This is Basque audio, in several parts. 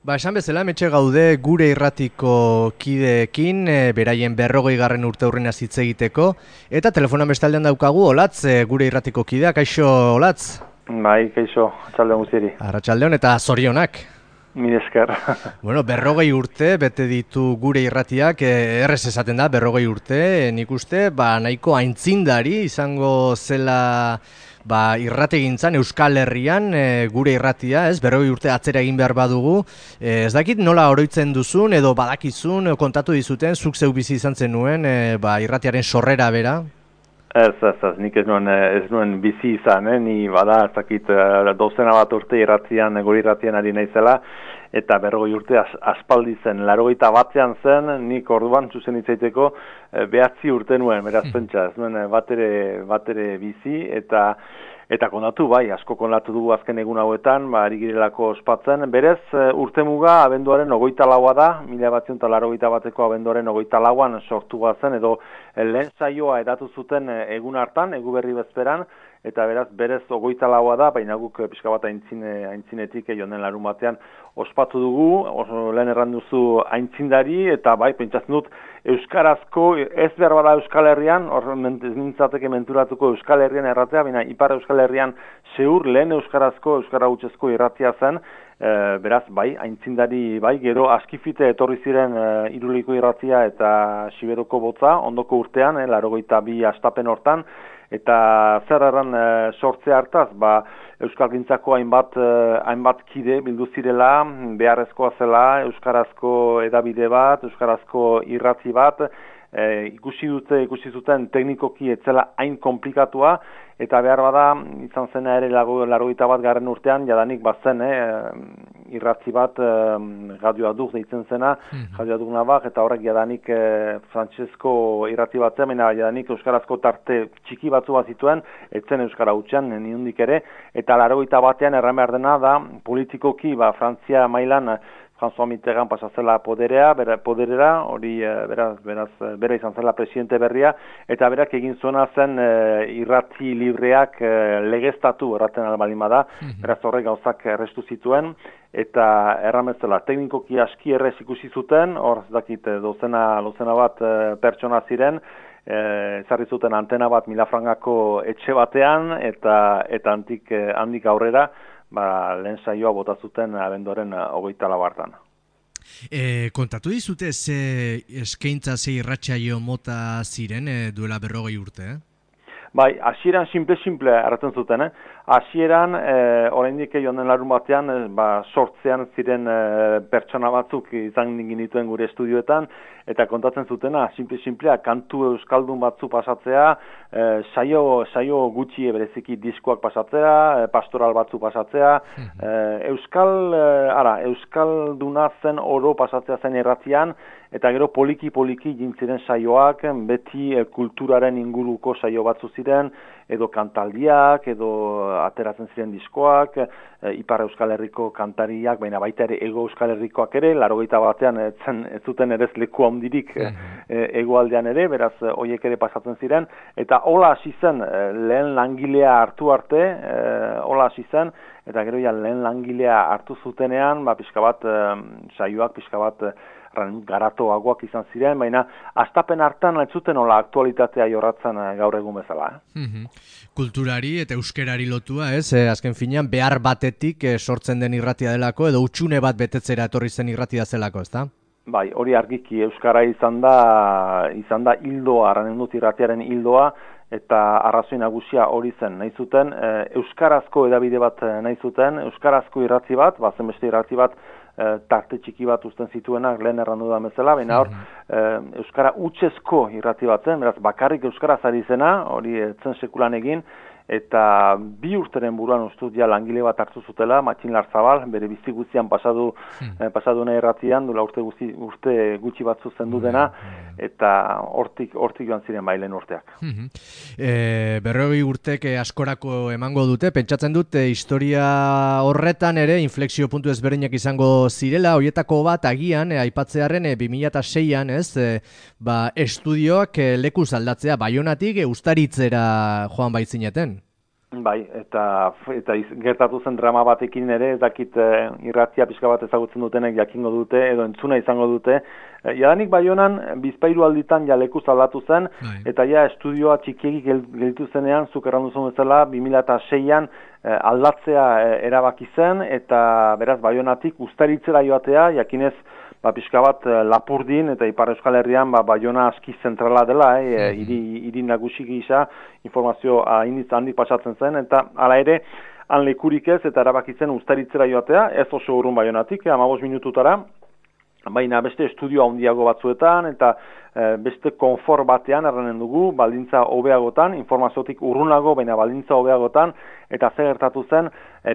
Esan bezala, hementxe gaude gure irratiko kideekin, beraien 40. urteurrena hitz egiteko, eta telefonan bestaldean daukagu, Olatz, gure irratiko kidea, kaixo, Olatz? Bai, kaixo, atxaldeon guztieri. Arratsaldeon eta zorionak. Mil esker. 40 urte, bete ditu gure irratiak, errez esaten da, 40 urte, nik uste, nahiko aintzindari izango zela irrategintzan Euskal Herrian gure irratia, 40 urte atzera egin behar badugu. Ez dakit nola oroitzen duzun edo badakizun, kontatu dizuten, zuk zeu bizi izan zenuen irratiaren sorrera bera? Ez, nik ez nuen bizi izan, ni bada, ez dakit, dozena bat urte gure irratian ari naizela, eta 40 urte aspaldi zen, 81 zen, nik orduan zuzen hitzaiteko 9 urte nuen, beraz pentsa, ez nuen batere bizi, eta kontatu, asko kontatu dugu azken egun hauetan, ari girelako ospatzen. Berez, urtemuga abenduaren 24 da, 1981ko abenduaren 24an sortu zen, edo lehen saioa edatu zuten egun hartan, egu berri bezperan, eta berez 24 da, baina guk pixka bat aintzinetik joan den larun batean ospatu dugu, lehen erran duzu aintzindari, eta pentsatzen dut euskarazko, ez behar bada Euskal Herrian, ez nintzateke menturatuko Euskal Herrian erratea, baina Ipar Euskal Herrian zeur lehen euskarazko, euskara hutsezko irratia zen, beraz, aintzindari, gero askifite etorri ziren Iruliko irratia eta Siberoko botza, ondoko urtean, 82 astapen hortan, eta zer erran sortze hartaz, Euskalgintzako hainbat kide bildu zirela, beharrezkoa zela, euskarazko edabide bat, euskarazko irrati bat, ikusi zuten teknikoki etzela hain komplikatua, eta behar bada, izan zena ere 81. urtean, jadanik bazen, irratzi bat, Radio Aduk deitzen zena, Radio Aduk Navak, eta horrek jadanik frantsesko irratzi bat zen, jadanik euskarazko tarte txiki batzu bat zituen, etzen euskara hutsean, niondik ere, eta 81an erran behar dena da, politikoki, Frantzia mailan, François Mitterrand pasazela poderera, hori bera izan zela presidente berria, eta berak egin zuena zen irrati libreak legeztatu erraten albalin bada, beraz horrek gauzak errestu zituen, eta erramezela teknikoki aski errez ikusi zuten, hor dakit dozena bat pertsona ziren, ezarri zuten antena bat milafrangako etxe batean, eta handik aurrera, lehen saioa bota zuten abenduaren 24 hartan. Kontatu dizute ze eskaintza ze irratsaio mota ziren duela 40 urte? Hasieran simple erraten zuten, hasieran oraindik joan den larun batean, sortzean ziren pertsona batzuk izan ginituen gure estudioetan, eta kontatzen zutena, simplea, kantu euskaldun batzu pasatzea, saio gutxi bereziki diskoak pasatzea, pastoral batzu pasatzea, euskalduna zen oro pasatzea zen irratian, eta gero poliki jintziren saioak, beti kulturaren inguruko saio batzu ziren, edo kantaldiak, edo ateratzen ziren diskoak, Ipar Euskal Herriko kantariak, baina baita ere Ego Euskal Herrikoak ere, 81an ez zuten ere leku handirik hegoaldean ere, beraz horiek ere pasatzen ziren, eta hola hasi zen, lehen langilea hartu arte, hola hasi zen, eta gero lehen langilea hartu zutenean, pixka bat saioak, pixka bat garatoagoak izan ziren, baina astapen hartan ez zuten hola aktualitatea jorratzen gaur egun bezala. Kulturari eta euskerari lotua, azken finean behar batetik sortzen den irratia delako, edo utxune bat betetzera etorri zen irratia zelako, ezta? Hori argiki, euskara izan da hildoa, arranen dut irratiaren hildoa, eta arrazoi nagusia hori zen, nahi zuten, euskarazko edabide bat nahi zuten, euskarazko irrati bat, zenbeste irrati bat, tarte txiki bat uzten zituenak lehen errandu da bezala, baina hor, euskara hutsezko irrati bat zen, beraz bakarrik euskaraz ari zena, hori zen sekulan egin, eta 2 urteren buruan ustut langile bat hartu zutela, Matxin Larzabal, bere bizi guztian pasaduna irratian, dula urte gutxi batzu zendu dena, eta hortik joan ziren lehen urteak. 40 urtek askorako emango dute, pentsatzen dut historia horretan ere inflexio puntu ezberdinak izango zirela, horietako bat agian, aipatzearen 2006an, estudioak lekuz aldatzea, Baionatik Uztaritzera joan baitzineten. Bai, eta gertatu zen drama batekin ere, ez dakit irratia pixka bat ezagutzen dutenek jakingo dute, edo entzuna izango dute. Jadanik Baionan bizpairu alditan ja lekuz aldatu zen, eta ja estudioa txikiegi gelditu zenean, zuk errandu zuen bezala, 2006an aldatzea erabaki zen, eta beraz Baionatik Uztaritzera joatea, jakinez, pixka bat Lapurdin eta Ipar Euskal Herrian Baiona aski zentrala dela, hiri nagusi gisa informazio handik pasatzen zen, eta hala ere, han lekurik ez, eta erabakitzen Uztaritzera joatea, ez oso urrun Baionatik, 15 minututara, baina beste estudio handiago batzuetan, eta beste konfort batean erranen dugu, baldintza hobeagotan, informaziotik urrunago, baina baldintza hobeagotan, eta zer gertatu zen,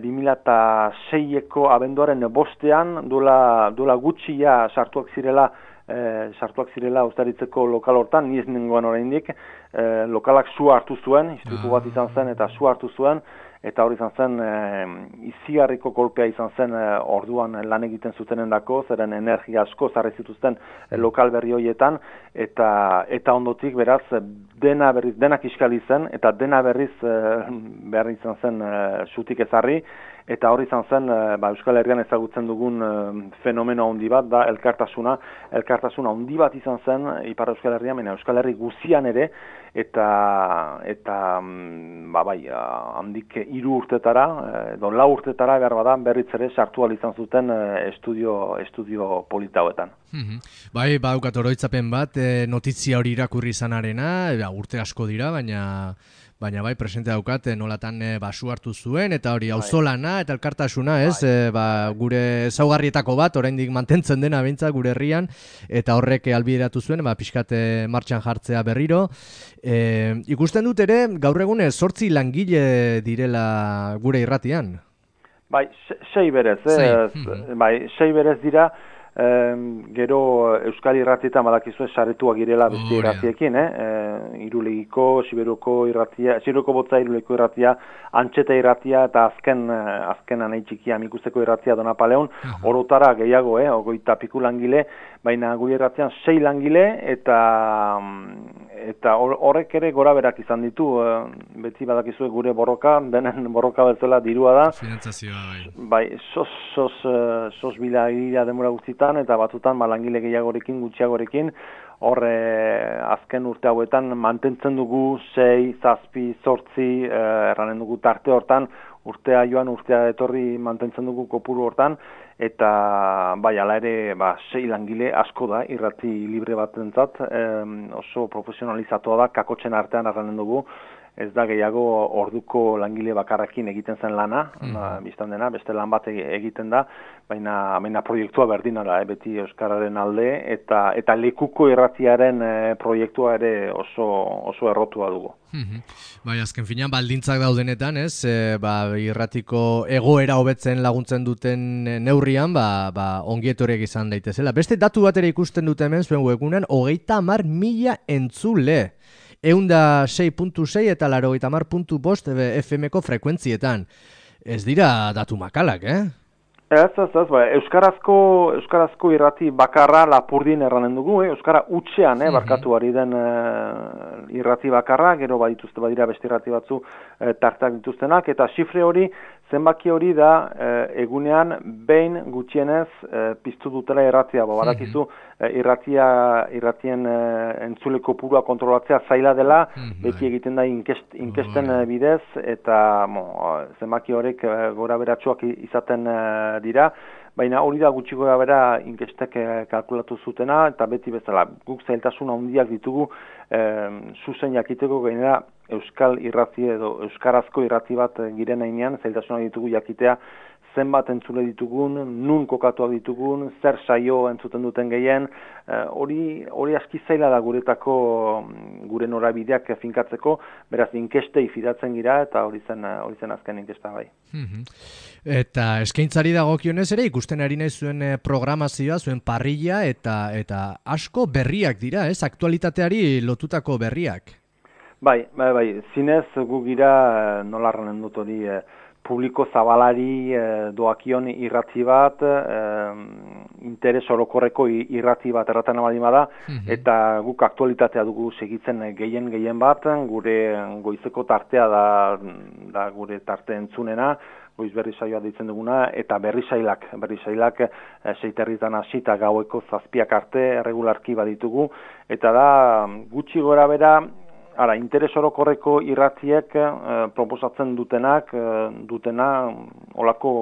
2006eko abenduaren bostean, duela gutxia sartuak zirela Uztaritzeko lokal hortan, ni ez nengoen oraindik, lokalak sua hartu zuen, istripu bat izan zen, eta sua hartu zuen, eta hori izan zen, izigarriko kolpea izan zen orduan lan egiten zutenendako, zeren energia asko zarri zituzten lokal berri horietan, eta ondotik beraz denak iskali zen, eta dena berriz behar izan zen sutik ezarri, eta hori izan zen Euskal Herrian ezagutzen dugun fenomeno handi bat, da elkartasuna handi bat izan zen Ipar Euskal Herrian, baina Euskal Herri guzian ere, eta handik 3 urtetara, edo 4 urtetara behar bada berriz ere sartu ahal izan zuten estudio polita hauetan. Bai, badaukat oroitzapen bat, notizia hori irakurri izanarena, urte asko dira, baina bai, presente daukat, nolatan basu hartu zuen, eta hori auzolana eta elkartasuna, ez, gure ezaugarrietako bat, oraindik mantentzen dena behintzat gure herrian, eta horrek albideratu zuen, pixkat martxan jartzea berriro. Ikusten dut ere, gaur egun 8 langile direla gure irratian. Bai, 6 berez, bai, 6 berez dira, gero Euskal Irratietan badakizue saretuak girela beste irratiekin, Irulegiko, Sibiroko Botza, Irulegiko Irratia, Antxeta Irratia eta azken anai txikia Amikuzeko Irratia Donapaleon, orotara gehiago, 20 langile, baina gure irratian 6 langile eta horrek ere gora berak izan ditu, beti badakizue gure borroka, denen borroka bezala dirua da. Finantzazioa, bai. Sos bila denbora guztitan, eta batzutan langile gehiagorekin, gutxiagorekin, azken urte hauetan mantentzen dugu 6, 7, 8, erranen dugu tarte hortan, urtea joan, urtea etorri mantentzen dugu kopuru hortan, eta bai, ala ere 6 langile asko da, irrati libre batentzat, oso profesionalizatua da, kakotzen artean erranen dugu, ez da gehiago orduko langile bakarrakin egiten zen lana, biztan dena, beste lan bat egiten da, baina proiektua berdina da, beti Euskararen alde, eta lekuko irratiaren proiektua ere oso errotua dugu. Bai, azken finean baldintzak daudenetan, ez, irratiko egoera hobetzen laguntzen duten neurrian, ongietorek izan daitezela. Beste datu bat ere ikusten dute hemen zuen webgunean, 30.000 entzule. 106.6 eta 80.5 FM-ko frekuentzietan. Ez dira datu makalak, Ez, Euskarazko irrati bakarra Lapurdin erranen dugu, Euskara hutsean, barkatu ari den irrati bakarra, gero badira beste irrati batzu tartak dituztenak, eta xifre hori, zenbaki hori da egunean behin gutxienez piztu dutela irratia, badakizu irratien entzule kopurua kontrolatzea zaila dela, beti egiten da inkesten bidez, eta zenbaki horrek gora beratsuak izaten dira, baina hori da gutxi gora bera inkestek kalkulatu zutena, eta beti bezala guk zailtasun handiak ditugu zuzen jakiteko, gainera Euskal irrati edo Euskarazko irrati bat giren heinean, zailtasunak ditugu jakitea zenbat entzule ditugun, nun kokatuak ditugun, zer saio entzuten duten gehien, hori aski zaila da gure norabideak finkatzeko, beraz inkestei fidatzen gira, eta hori zen azken inkesta bai. Eta eskaintzari dagokionez ere, ikusten ari nahi zuen programazioa, zuen parrilla, eta asko berriak dira, ez? Aktualitateari lotutako berriak. Bai, zinez gu gira nola erranen dut hori publiko zabalari doakion irrati bat, interes orokorreko irrati bat erratan baldin bada, eta guk aktualitatea dugu segitzen gehien bat, gure goizeko tartea da gure tarte entzunena, goiz berri saioa deitzen duguna, eta berri sailak 6 hasita gaueko 7 arte regularki baditugu, eta da gutxi gora bera, interes orokorreko irratiek proposatzen dutena olako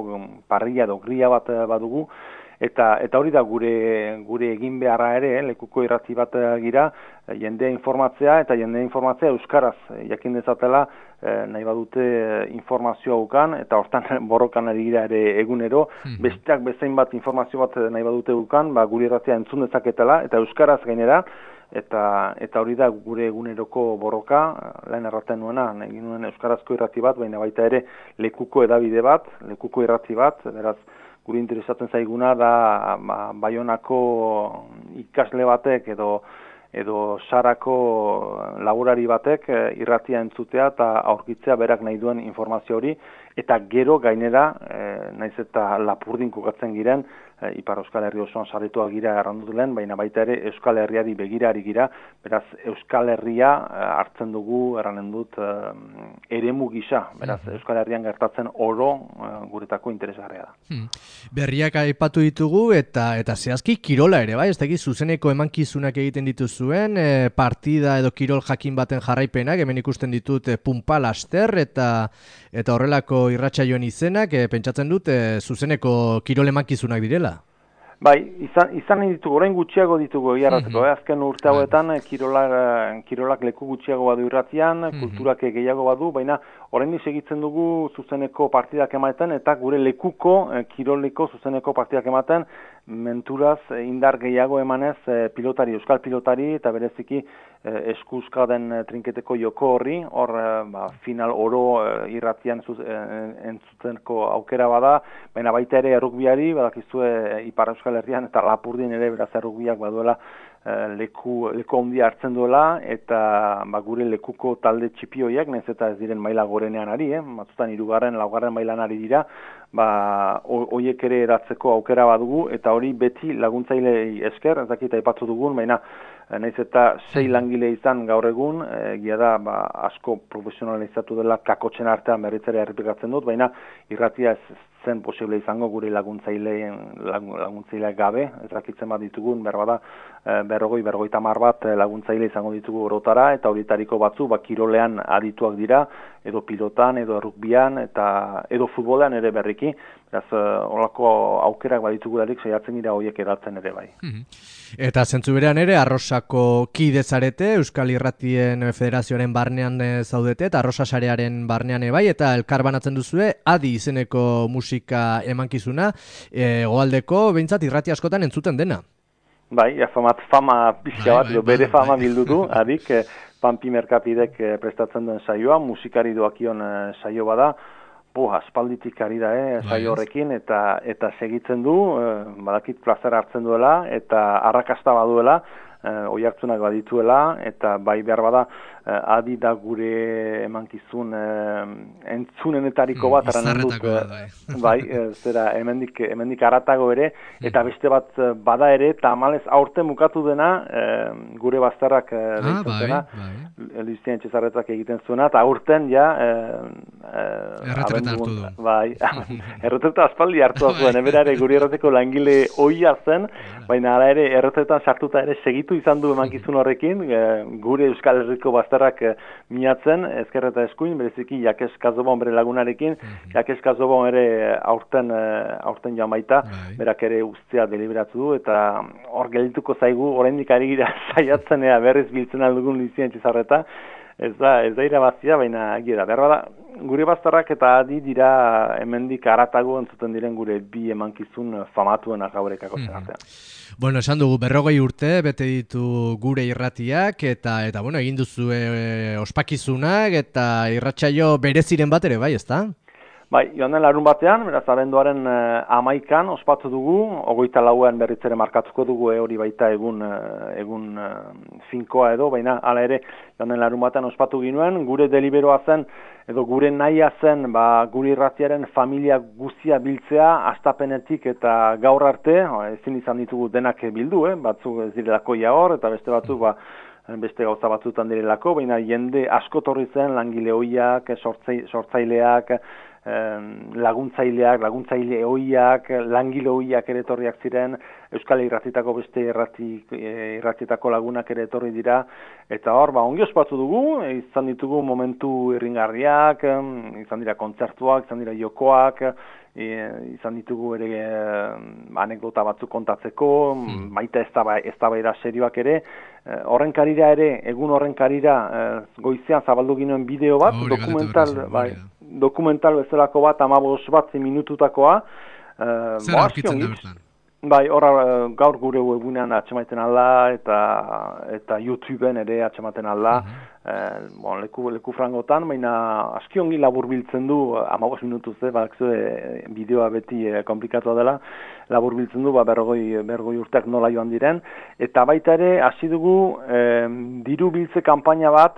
parrilla edo grilla bat badugu, eta hori da gure egin beharra ere, lekuko irrati bat gira, jendea informatzea euskaraz jakin dezatela, nahi badute informazioa ukan, eta hortan borrokan ari gira ere egunero, besteak bezain bat informazio bat nahi badute ukan, gure irratia entzun dezaketela, eta euskaraz gainera, eta hori da gure eguneroko borroka, lehen erraten nuena, nahi nuen euskarazko irrati bat, baina baita ere lekuko edabide bat, lekuko irrati bat, beraz, guri interesatzen zaiguna da Baionako ikasle batek edo Sarako laborari batek irratia entzutea eta aurkitzea berak nahi duen informazio hori, eta gero gainera, naiz eta Lapurdin kokatzen giren, Ipar Euskal Herri osoan sarrituak gira errandut lehen, baina baita ere Euskal Herriari begirari gira, beraz Euskal Herria hartzen dugu, erranen dut, eremu gisa, beraz Euskal Herrian gertatzen oro guretako interesgarria da. Berriak aipatu ditugu eta zehazki kirola ere, bai? Ez dakit zuzeneko emankizunak egiten dituzuen, partida edo kirol jakin baten jarraipenak, hemen ikusten ditut Punpa Laster eta horrelako irratsaioen izenak, pentsatzen dut zuzeneko kirol emankizunak direla. Bai, izan ditugu, orain gutxiago ditugu egiarrateko, azken urte hauetan kirolak leku gutxiago badu irratian, kulturak gehiago badu, baina orain segitzen dugu zuzeneko partidak ematen, eta gure lekuko kiroliko zuzeneko partidak ematen, menturaz indar gehiago emanez euskal pilotari, eta bereziki eskuzka den trinketeko joko horri, hor final oro irratian entzutenko aukera bada, baina baita ere errukbiari, badakizue Ipar Euskal Herrian eta Lapurdin ere beraz errukbiak baduela leku handia hartzen duela, eta gure lekuko talde txipioiak, nahiz eta ez diren maila gorenean ari, batzutan 3., 4. mailan ari dira, hoiek ere eratzeko aukera badugu, eta hori beti laguntzailei esker, ez dakit aipatu dugun, baina nahiz eta 6 langile izan gaur egun, egia da asko profesionalizatu dela kakotzen artean berritzera errepikatzen dut, baina irratia ez zen posible izango gure laguntzaile gabe, ez dakitzen bat ditugun, berbada 50 bat laguntzaile izango ditugu orotara, eta horietariko batzu kirolean adituak dira, edo pilotan, edo rugbian, edo futbolean ere berriki, beraz holako aukerak baditugu darik saiatzen dira horiek eratzen ere bai. Eta zentzu berean ere, Arrosako kide zarete, Euskal Irratien Federazioaren barnean zaudete, eta Arrosa sarearen barnean bai, eta elkar banatzen duzue, Adi izeneko musika emankizuna, Hegoaldeko behintzat irrati askotan entzuten dena. Bai, fama pixka bat, bere fama bildu du, Adik, Pampi Merkapidek prestatzen duen saioa, musikari doakion saio bada, aspalditik ari da, saio horrekin, eta segitzen du, badakit plazera hartzen duela, eta arrakasta baduela, oihartzunak badituela, eta bai behar bada, Adi da gure emankizun entzunenetariko bat, bai, zera, hemendik aratago ere, eta beste bat bada ere, eta amalez aurten mukatu dena, gure bazterrak deitzen dena, Luizien Txezarretak egiten zuena, eta aurten ja erretreta hartu du. Bai, erretreta aspaldi hartu zuen, eberare gure erreteko langile ohia zen, baina ala ere erretretan sartuta ere segitu izan du emankizun horrekin, gure Euskal Herriko bazterrak minatzen, ezker eta eskuin, bereziki Jakes Kazobon bere lagunarekin, Jakes Kazobon ere aurten joan baita, berak ere ustea deliberatu du, eta hor geldituko zaigu, oraindik ari gira saiatzen berriz biltzen aldugun Luizien Txezarreta, ez da irabazia, baina gira, behar bada, gure bazterrak eta Adi dira hemendik aratago entzuten diren gure bi emankizun famatuenak gaurekako zen artean. Bueno, esan dugu 40 urte bete ditu gure irratiak eta bueno, egin duzu ospakizunak eta irratsaio bereziren bat ere bai, ezta? Bai, joan den larun batean, beraz, abenduaren 11an ospatu dugu, 24an berriz ere markatuko dugu, hori baita egun finkoa edo, baina hala ere, joan den larun batean ospatu ginuen, gure deliberoa zen, edo gure nahia zen, gure irratiaren familia guztia biltzea, astapenetik eta gaur arte, ezin izan ditugu denak bildu, batzuk ez direlako hor, eta beste batzuk, beste gauza batzutan direlako, baina jende asko torri zen, langile hoiak, sortzaileak, laguntzaile hoiak, langile hoiak ere etorriak ziren, Euskal Irratitako beste irratitako lagunak ere etorri dira, eta hor, ongi ospatu dugu, izan ditugu momentu irringarriak, izan dira kontzertuak, izan dira jokoak, izan ditugu ere anekdota batzuk kontatzeko, baita eztabaida serioak ere, egun horren karira goizean zabaldu ginoen bideo bat, dokumental bezalako bat, 15 bat minututakoa. Zer aurkitzen da bertan? Bai, horra gaur gure webunean atxemaiten alda, eta YouTubeen ere atxematen alda, leku frangotan, baina aski ongi labur biltzen du, 15 minutuz, bideoa beti komplikatua dela, labur biltzen du, 40 urteak nola joan diren, eta baita ere, hasi dugu, diru biltze kanpaina bat,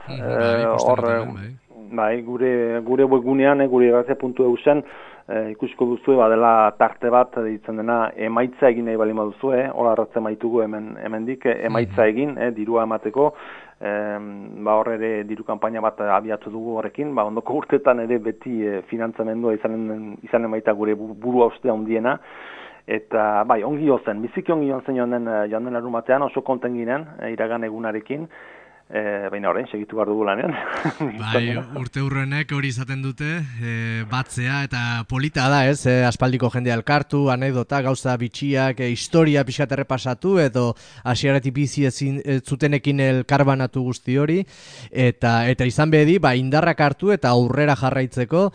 gure webunean, gure irratia.eu zen, ikusiko duzue, badela tarte bat, ditzen dena, emaitza egin nahi balima duzue, hola arratzen maitugu hemendik, emaitza egin, dirua emateko, hor ere diru kanpaina bat abiatu dugu horrekin, ondoko urtetan ere beti finantzamendua izanen baita gure burua ostea handiena, eta ongi jozen, biziki ongi jozen joan den larun batean, oso konten ginen, iragan egunarekin, baina orain segitu behar dugu lanean. Urte hurrenek hori izaten dute, batzea eta polita da, aspaldiko jendea elkartu, anekdota, gauza bitxiak, historia pixkat errepasatu, edo hasieratik bizi zutenekin elkarbanatu guzti hori, eta izan behedi, indarrak hartu eta aurrera jarraitzeko.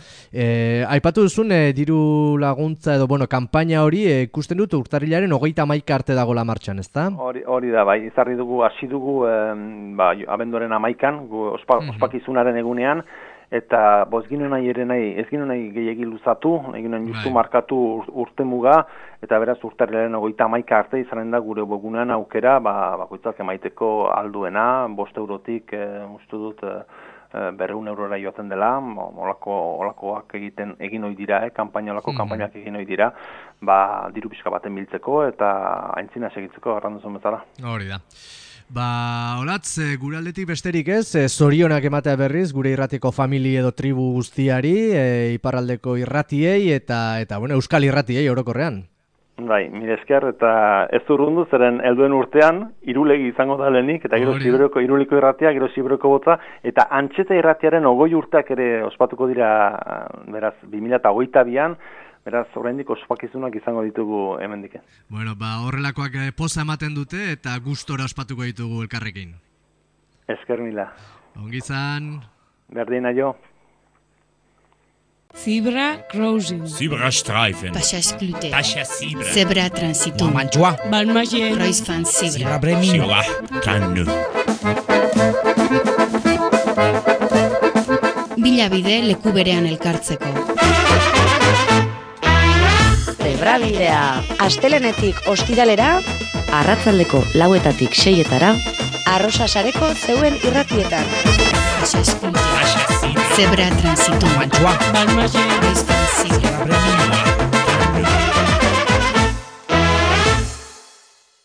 Aipatu duzun, diru laguntza edo, kanpaina hori, ikusten dut urtarrilaren 31 arte dagoela martxan, ezta? Hori da, izarri dugu, hasi dugu, abenduaren 11an, ospakizunaren egunean, eta ez ginen nahi gehiagi luzatu, eginen justu markatu urte muga, eta beraz urtarrilaren 31 arte izanen da gure webunean aukera, bakoitzak emaiteko alduena, 5 eurotik, uste dut, 200 eurora joaten dela, olakoak egin ohi dira, kanpainak egin ohi dira, diru pixka baten biltzeko, eta aintzina segitzeko, erranduzun bezala. Hori da. Olatz, gure aldetik besterik ez, zorionak ematea berriz, gure irratiko famili edo tribu guztiari, iparraldeko irratiei eta euskal irratiei orokorrean. Mire esker, eta ez urrundu, zeren helduen urtean, irulegi izango da lehenik, eta gero iruliko irratia, gero zibroko botza, eta antxeta irratiaren 20 urteak ere ospatuko dira, beraz, 2022an, beraz, oraindik ospakizunak izango ditugu hemendik. Horrelakoak poza ematen dute eta gustora ospatuko ditugu elkarrekin. Esker mila. Ongi zan. Berdina jo. Zebra crossing. Zebra streifen. Passages clouté. Pascha zebra. Zebra transitum. Mantua. Balmagien. Kreuzfahrt zebra. Zebra bremin. Zebra kannu. Bilabide leku berean elkartzeko. Zebrabidea. Astelenetik ostiralera, arratsaldeko 4etatik 6etara, Arrosasareko zeuen irratietan. Passages clouté. Zebra transitum. Mantua. Balmagien. Kreuzfahrt zebra. Zebra bremin.